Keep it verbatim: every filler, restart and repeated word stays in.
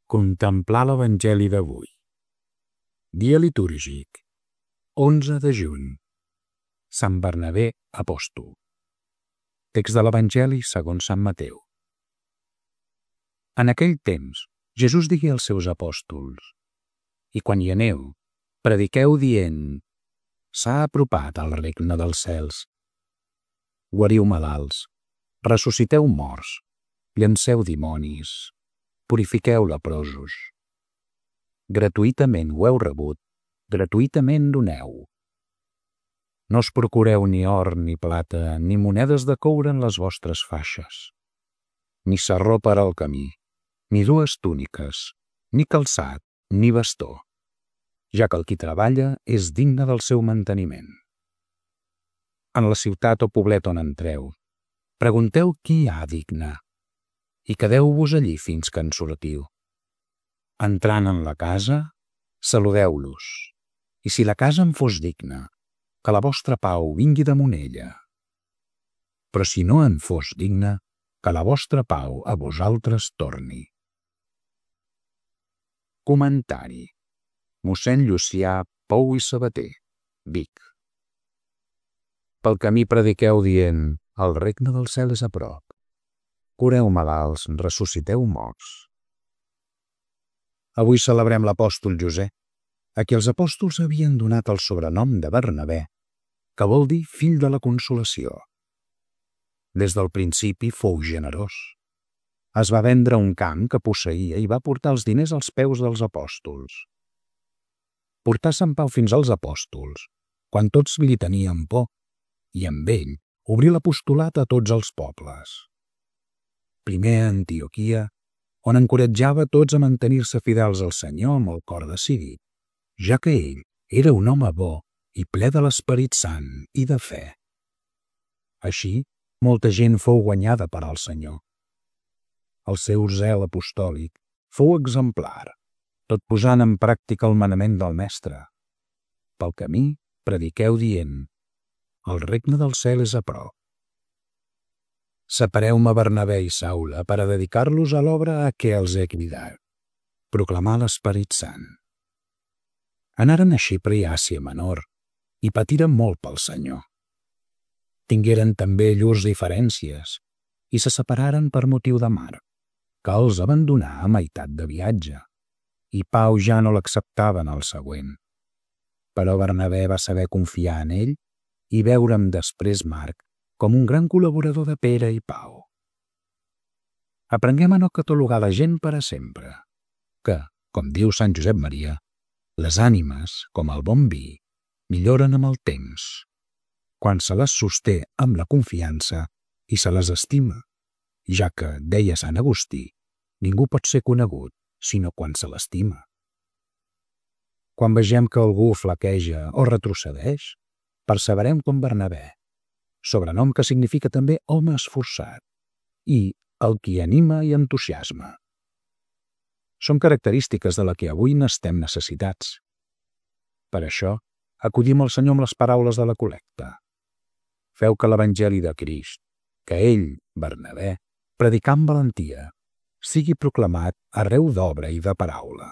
Contemplar l'Evangeli d'avui. Dia litúrgic, onze de juny. Sant Bernabé apòstol. Text de l'Evangeli segons Sant Mateu. En aquell temps, Jesús digué als seus apòstols: I quan hi aneu, prediqueu dient: s'ha apropat el regne dels cels. Guariu malalts, ressusciteu morts, llanceu dimonis, purifiqueu leprosos. Gratuïtament ho heu rebut, gratuïtament doneu. No us procureu ni or ni plata, ni monedes de coure en les vostres faixes, ni sarró per al camí, ni dues túniques, ni calçat, ni bastó, ja que el qui treballa és digne del seu manteniment. En la ciutat o poblet on entreu, pregunteu qui hi ha digne, i quedeu-vos allí fins que en sortiu. Entrant en la casa, saludeu-los, i si la casa en fos digna, que la vostra pau vingui damunt ella. Però si no en fos digna, que la vostra pau a vosaltres torni. Comentari. Mossèn Llucià Pou i Sabater, Vic. Pel camí prediqueu dient: el regne del cel és a prop. Cureu malalts, ressusciteu morts. Avui celebrem l'apòstol José, a qui els apòstols havien donat el sobrenom de Bernabé, que vol dir fill de la consolació. Des del principi fou generós. Es va vendre un camp que posseïa i va portar els diners als peus dels apòstols. Portar Sant Pau fins als apòstols, quan tots li tenien por, i amb ell obrir l'apostolat a tots els pobles. Primer a Antioquia, on encoratjava tots a mantenir-se fidels al Senyor amb el cor decidit, ja que ell era un home bo i ple de l'Esperit Sant i de fe. Així, molta gent fou guanyada per al Senyor. El seu zel apostòlic fou exemplar, tot posant en pràctica el manament del Mestre. Pel camí, prediqueu dient: el regne del cel és a prop. Separeu-me Bernabé i Saula per a dedicar-los a l'obra a què els he cridat, proclamar l'Esperit Sant. Anaren a Xipre i Àsia Menor i patiren molt pel Senyor. Tingueren també llurs diferències i se separaren per motiu de Marc, que els abandonà a meitat de viatge, i Pau ja no l'acceptava en el següent. Però Bernabé va saber confiar en ell i veure'm després Marc com un gran col·laborador de Pere i Pau. Aprenguem a no catalogar la gent per a sempre, que, com diu Sant Josep Maria, les ànimes, com el bon vi, milloren amb el temps, quan se les sosté amb la confiança i se les estima, ja que, deia Sant Agustí, ningú pot ser conegut sinó quan se l'estima. Quan vegem que algú flaqueja o retrocedeix, perseverem com Bernabé, sobrenom que significa també home esforçat, i el qui anima i entusiasma. Són característiques de la que avui n'estem necessitats. Per això, acudim al Senyor amb les paraules de la col·lecta. Feu que l'Evangeli de Crist, que ell, Bernabé, predicà amb valentia, sigui proclamat arreu d'obra i de paraula.